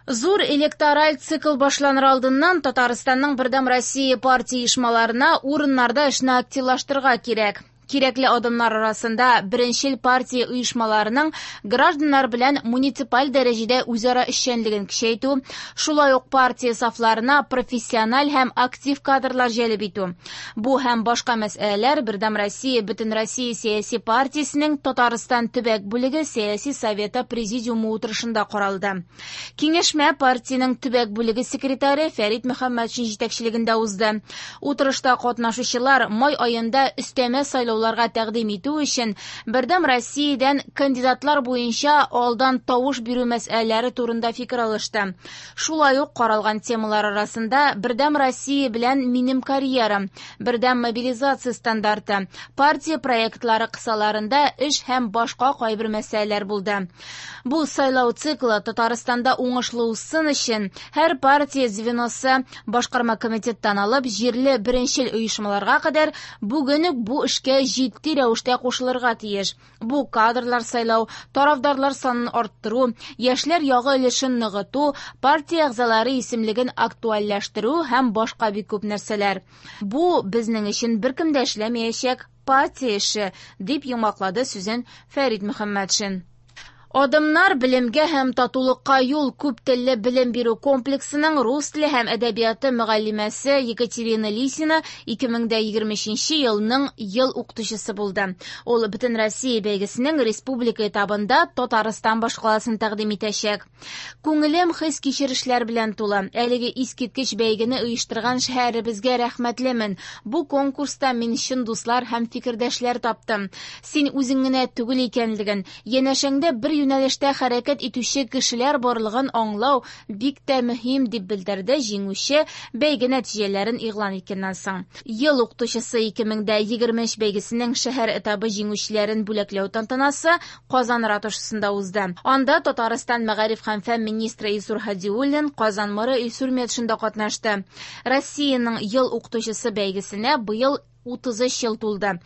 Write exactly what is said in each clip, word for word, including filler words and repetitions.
Зур электораль цикл башланыр алдыннан Татарстанның Бердәм Россия партия оешмаларына урыннарда эшне активлаштырырга кирәк. Кирәкле адымнар арасында беренчел партия оешмаларының гражданнар белән муниципаль дәрәҗәдә үзара эшчәнлеген көчәйтү, шулай ук партия сафларына профессиональ һәм актив кадрлар җәлеп итү. Бу һәм башка мәсьәләләр Бердәм Россия Бөтенроссия сәяси партиясенең Татарстан төбәк бүлеге сәяси советы президиумы утырышында каралды. Киңәшмә партиянең төбәк бүлеге секретаре Фәрит Мөхәммәтшин җитәкчелегендә узды. Утырышта катнашучылар май аенда өстәмә сайлау тәкъдим итү өчен Бердәм Россиядән кандидатлар буенча алдан тавыш бирү мәсьәләләре турында фикер алышты. Шулай ук каралган темалар арасында Бердәм Россия белән минем карьерам, Бердәм мобилизация стандарты, партия проектлары кысаларында эш һәм башка кайбер мәсьәләләр булды. Бу сайлау циклы Татарстанда уңышлы узсын өчен һәр партия звеносы башкарма комитеттан алып җирле беренчел оешмаларга кадәр бүген үк бу эшкә җитди рәвештә кушылырга тиеш. Бу кадрлар сайлау, тарафдарлар санын арттыру, яшьләр ягы өлешен ныгыту, партия әгъзалары исемлеген актуальләштерү һәм башка бик күп нәрсәләр. Бу безнең өчен беркем дә эшләмәячәк партия эше, дип йомгаклады сүзен Фәрит Мөхәммәтшин. Адымнар белемгә һәм татулыкка юл күп телле белем бирү комплексының рус теле һәм әдәбияты мөгаллимәсе Екатерина Лисина ике мең егерме өченче елның ел укытучысы булды. Ул Бөтен Россия бәйгесенең республика этабында Татарстан башкаласын тәкъдим итәчәк. Күңелем хис-кичерешләр белән тулы. Әлеге искиткеч бәйгене оештырган шәһәребезгә рәхмәтлемен. Бу конкурста мин чын дуслар һәм фикердәшләр таптым. Син үзең генә түгел икәнлеген, янәшәңдә бер юнәлештә хәрәкәт итүче кешеләр барлыгын аңлау бик тә мөһим, дип белдерде җиңүче бәйге нәтиҗәләрен игълан иткәннән соң. Ел укытучысы ике мең егерме өч бәйгесенең шәһәр этабы җиңүчеләрен бүләкләү тантанасы Казан ратушасында узды. Анда Татарстан мәгариф һәм фән министры Илсур Һадиуллин, Казан мэры Илсур Метшин да катнашты. Россиянең ел укытучысы бәйгесенә быел утыз өч ел тулды.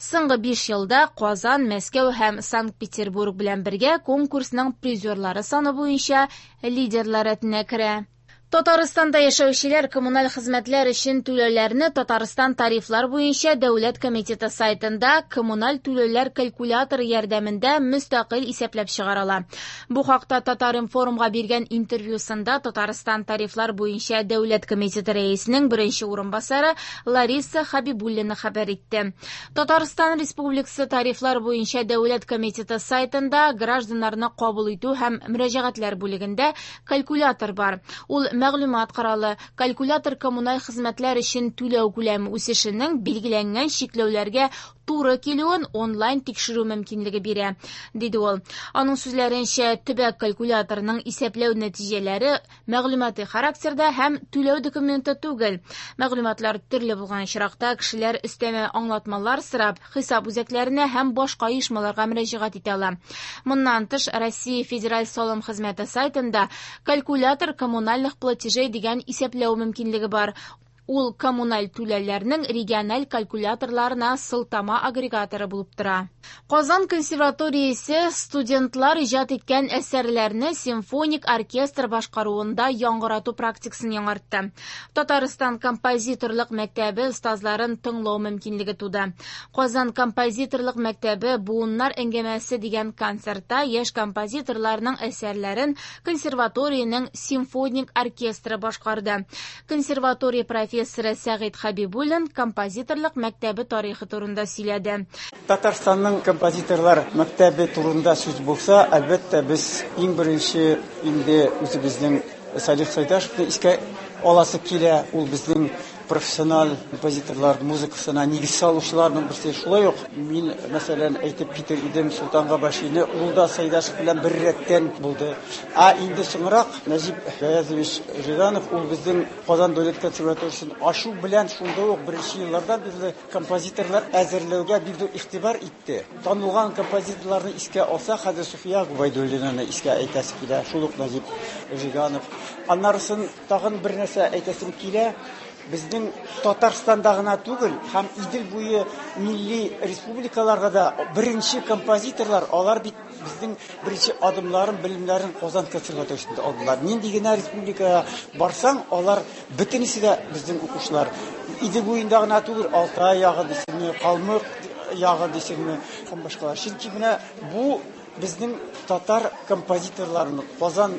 Соңгы биш елда Казан, Мәскәү һәм Санкт-Петербург белән бергә конкурсның призерлары саны буенча лидерлар рәтенә керә. Татарстанда яшәүчеләр коммуналь хезмәтләр өчен түләүләрне Татарстан тарифлар буенча дәүләт комитеты сайтында коммуналь түләүләр калькуляторы ярдәмендә мөстәкыйль исәпләп чыгара ала. Бу хакта Татар-информга биргән интервьюсында Татарстан тарифлар буенча дәүләт комитеты рәисенең беренче урынбасары Лариса Хабибуллина хәбәр итте. Татарстан Республикасы тарифлар буенча дәүләт комитеты сайтында гражданнарны кабул итү һәм мөрәҗәгатьләр бүлегендә калькулятор бар. Ул мәгълүмат коралы, калькулятор коммуналь хезмәтләр өчен түләү күләме үсешенең билгеләнгән чикләүләргә туры килүен онлайн тикшерү мөмкинлеге бирә, диде ул. Аның сүзләренчә, төбәк калькуляторының исәпләү нәтиҗәләре мәгълүмати характерда һәм түләү документы түгел. Мәгълүматлар төрле булган очракта кешеләр өстәмә аңлатмалар сорап, хисап үзәкләренә һәм башка оешмаларга мөрәҗәгать итә ала. Моннан тыш, Россия Федераль салым хезмәте сайтында калькулятор коммунальных платежей дигән исәпләү мөмкинлеге бар. Ул коммуналь түләүләрнең региональ калькуляторларына сылтама агрегаторы булып тора. Казан консерваториясе студентлар иҗат иткән әсәрләрне симфоник оркестр башкаруында яңгырату практикасын яңартты. Татарстан композиторлык мәктәбе остазларын тыңлау мөмкинлеге туды. Казан композиторлык мәктәбе буыннар әңгәмәсе дигән концертта яшь композиторларның әсәрләрен консерваториянең симфоник оркестры башкарды. Консерватория профессоры Сәгыйть Хабибуллин композиторлык мәктәбе тарихы турында сөйләде. Татарстанның композиторлар мәктәбе турында сүз булса, әлбәттә, без иң беренче инде үзебезнең Салих Сайдашевны искә аласы килә. Ул безнең профессиональ композиторлар музыкасына нигез салучыларның берсе. Шулай ук мин, мәсәлән, әйтеп китер идем Солтан Габашины, ул да Сайдашев белән бер рәттән булды. Ә инде соңрак Нәҗип Гаязович Жиганов, ул безнең Казан дәүләт консерваториясен ачу белән шунда ук беренче еллардан бирле композиторлар әзерләүгә бик зур игътибар итте. Танылган композиторларны искә алсак, хәзер Суфия Губайдуллинаны искә әйтәсе килә, шул ук Нәҗип Жиганов. Аннарысын тагын бер нәрсә әйтәсем килә. Безнең Татарстанда гына түгел, һәм Идел буе милли республикаларга да беренче композиторлар, алар бит Безнең беренче адымларын, белемнәрен Казан консерваториясендә алдылар. Нинди генә республикага барсаң, алар бөтенесе дә безнең укучылар. Идел буенда гына түгел, Алтай ягы дисеңме, Калмык ягы дисеңме һәм башкалар. Чөнки менә бу безнең татар композиторларының Казан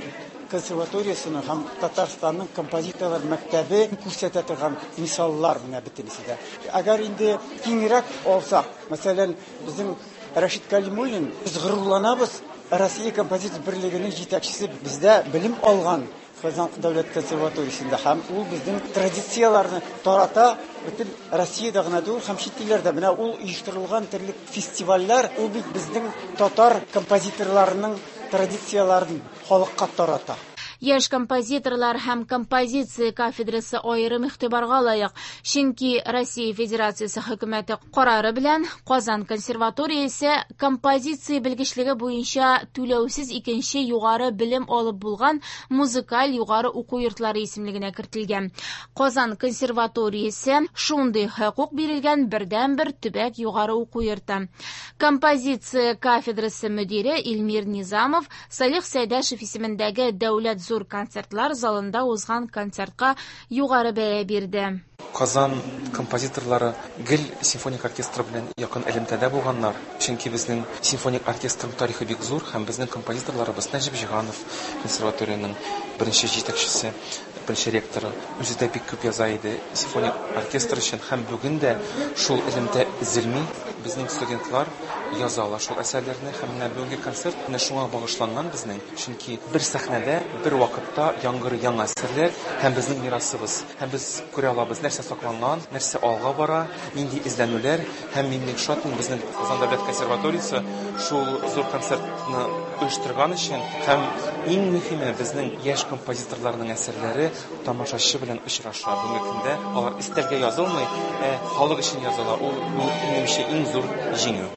консерваториясының һәм Татарстанның композиторлар мәктәбе күрсәтә торган мисаллар менә бөтенесе дә. Әгәр инде киңрәк алсак, мәсәлән, безнең Рәшит Калимуллин, без горурланабыз, Россия композитор берлегенең җитәкчесе бездә белем алган Казан дәүләт консерваториясендә һәм ул безнең традицияләрне тарата бөтен Россиядә генә түгел һәм чит илләрдә. Менә ул оештырылган төрле фестивальләр, ул бит безнең татар композиторларының традицияләрен халыкка тарата. Яшь композиторлар һәм композиция кафедрасы аерым игътибарга лаек, чөнки Россия Федерациясе хөкүмәте карары белән Казан консерваториясе композиция белгечлеге буенча түләүсез икенче югары белем алып булган музыкаль югары уку йортлары исемлегенә кертелгән. Казан консерваториясе шундый хокук бирелгән бердәнбер төбәк югары уку йорты. Композиция кафедрасы мөдире Илмир Низамов Салих Сәйдәшев исемендәге дәүләт зур концертлар залында узган концертка югары бәя бирде. Казан композиторлары гел симфоник оркестр белән якын элемтәдә булганнар. Чөнки безнең симфоник оркестрның тарихы бик зур һәм безнең композиторларыбыз Нәҗип Җиһанов консерваторияның беренче җитәкчесе, беренче ректоры, үзе дә бик күп яза иде симфоник оркестр өчен һәм бүген дә шул элемтә өзелми. Безнең студентлар язалар шул әсәрләрне һәм менә бүгенге концерт менә шуңа багышланган безнең. Чөнки бер сәхнәдә, бер вакытта яңгырый яңа әсәрләр һәм безнең мирасыбыз. Һәм без күрә алабыз нәрсә сакланган, нәрсә алга бара, нинди эзләнүләр һәм мин бик шатмын безнең Казан дәүләт консерваториясе шул зур концертны оештырган өчен һәм иң мөһиме безнең яшь композиторларның әсәрләре тамашачы белән очраша. Бүгенге көндә алар өстәлгә язылмый, ә халык өчен языла. Ул минемчә иң зур җиңү.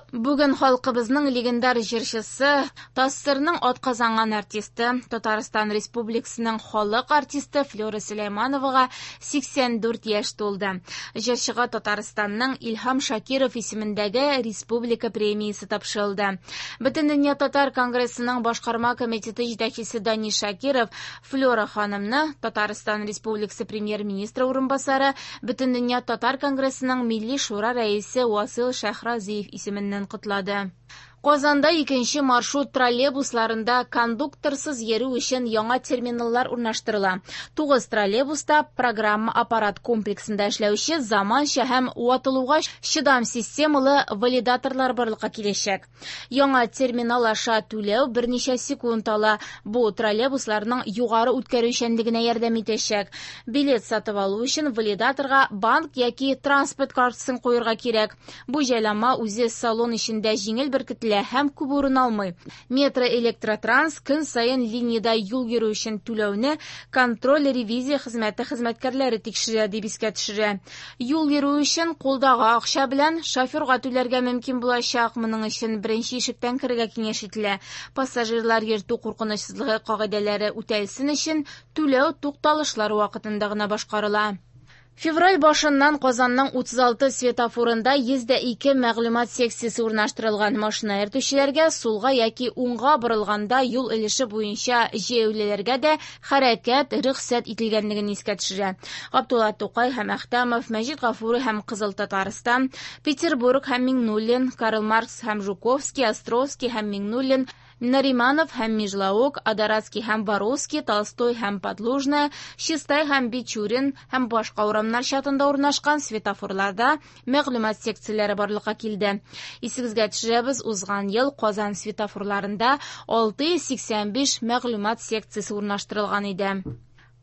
Бүген халкыбызның легендар җырчысы, ТАССРның атказанган артисты, Татарстан Республикасының халык артисты Флюра Сөләймановага сиксән дүрт яшь тулды. Җырчыга Татарстанның Илһам Шакиров исемендәге республика премиясе тапшырылды. Бөтендөнья татар конгрессының башкарма комитеты җитәкчесе Данис Шакиров Флюра ханымны Татарстан Республикасы премьер-министры урынбасары, Бөтендөнья татар конгрессының Милли шура рәисе Васил Шәһразиев исеменнән котлады. Казанда икенче маршрут троллейбусларында кондукторсыз йөрү өчен яңа терминаллар урнаштырыла. Тугыз троллейбуста программа аппарат комплексында эшләүче заманча һәм ватылуга чыдам системалы валидаторлар барлыкка киләчәк. Яңа терминал аша түләү берничә секунд ала. Бу троллейбусларның югары үткәрүчәнлегенә ярдәм итәчәк. Билет сатып алу өчен валидаторга банк яки транспорт картасын куярга кирәк. Бу җайланма үзе салон эчендә җиңел беркетелә һәм күп урын алмый. Метро электротранс көн саен линиядә юл йөрү өчен түләүне контроль ревизия хезмәте хезмәткәрләре тикшерә дип искә төшерә. Юл йөрү өчен кулдагы акча белән шоферга түләргә мөмкин булачак. Моның өчен беренче ишектән керергә киңәш ителә. Пассажирлар йөртү куркынычсызлыгы кагыйдәләре үтәлсен өчен түләү тукталышлар вакытында гына башкарыла. Февраль башыннан Казанның утыз алты светофорында йөз дә ике мәгълүмат секциясе урнаштырылган. Машина йөртүчеләргә сулга яки уңга борылганда юл өлеше буенча җәяүлеләргә дә хәрәкәт рөхсәт ителгәнлеген искә төшерә. Габдулла Тукай һәм Әхтәмов, Мәҗит Гафури һәм Кызыл Татарстан, Петербург һәм Миңнуллин, Карл Маркс һәм Жуковский, Островский һәм Миңнуллин, Нариманов һәм Межлаук, Адоратский һәм Воровский, Толстой һәм Подлужная, Чистай һәм Бичурин һәм башка урамнар чатында урнашкан светофорларда мәгълүмат секцияләре барлыкка килде. Исегезгә төшерәбез, узган ел Казан светофорларында алты йөз сиксән биш мәгълүмат секциясе урнаштырылган иде.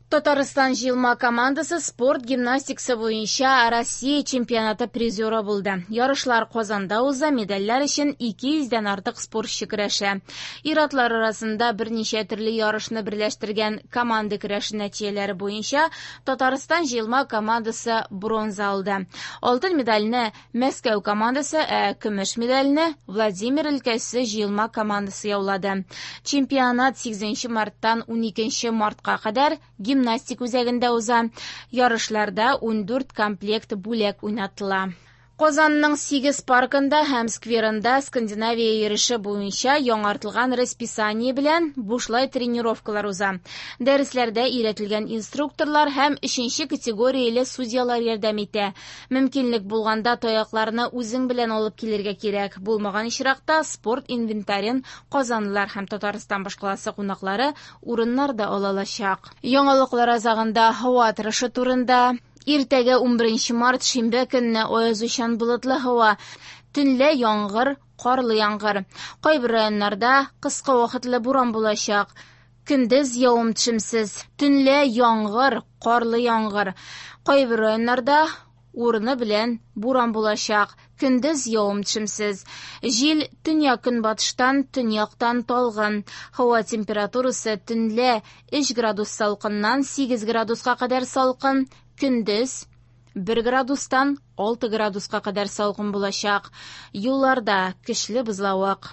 Татарстан җыелма командасы спорт гимнастикасы буенча Россия чемпионаты призеры булды. Ярышлар Казанда уза, медальләр өчен ике йөздән артык спортчы көрәшә. Ир-атлар арасында берничә төрле ярышны берләштергән команда көрәше нәтиҗәләре буенча Татарстан җыелма командасы бронза алды. Алтын медальне Мәскәү командасы, ә көмеш медальне Владимир өлкәсе җыелма командасы яулады. Чемпионат сигезенче марттан уникенче мартка кадәр гимнастик үзәгендә уза. Ярышларда ундүрт комплект бүләк уйнатыла. Казанның сигез паркында һәм скверында Скандинавия йөреше буенча яңартылган расписание белән бушлай тренировкалар уза. Дәресләрдә өйрәтелгән инструкторлар һәм өченче категорияле судьялар ярдәм итә. Мөмкинлек булганда таякларны үзең белән алып килергә кирәк. Булмаган очракта спорт инвентарен казанлылар һәм Татарстан башкаласы кунаклары урыннарда ала алачак. Яңалыклар азагында һава торышы турында. Иртәгә ун беренче март шимбә көнне аязучан болытлы һава, төнлә яңгыр, карлы яңгыр. Кайбер районнарда кыска вакытлы буран булачак. Көндез явым-төшемсез, төнлә яңгыр, карлы яңгыр. Кайбер районнарда урыны белән буран булачак. Көндез явым-төшемсез. Җил төньяк-көнбатыштан, төньяктан талгын. Һава температурасы төнлә өч градус салкыннан сигез градуска кадәр салкын, көндез бер градустан алты градуска кадәр салкын булачак. Юлларда көчле бозлавык.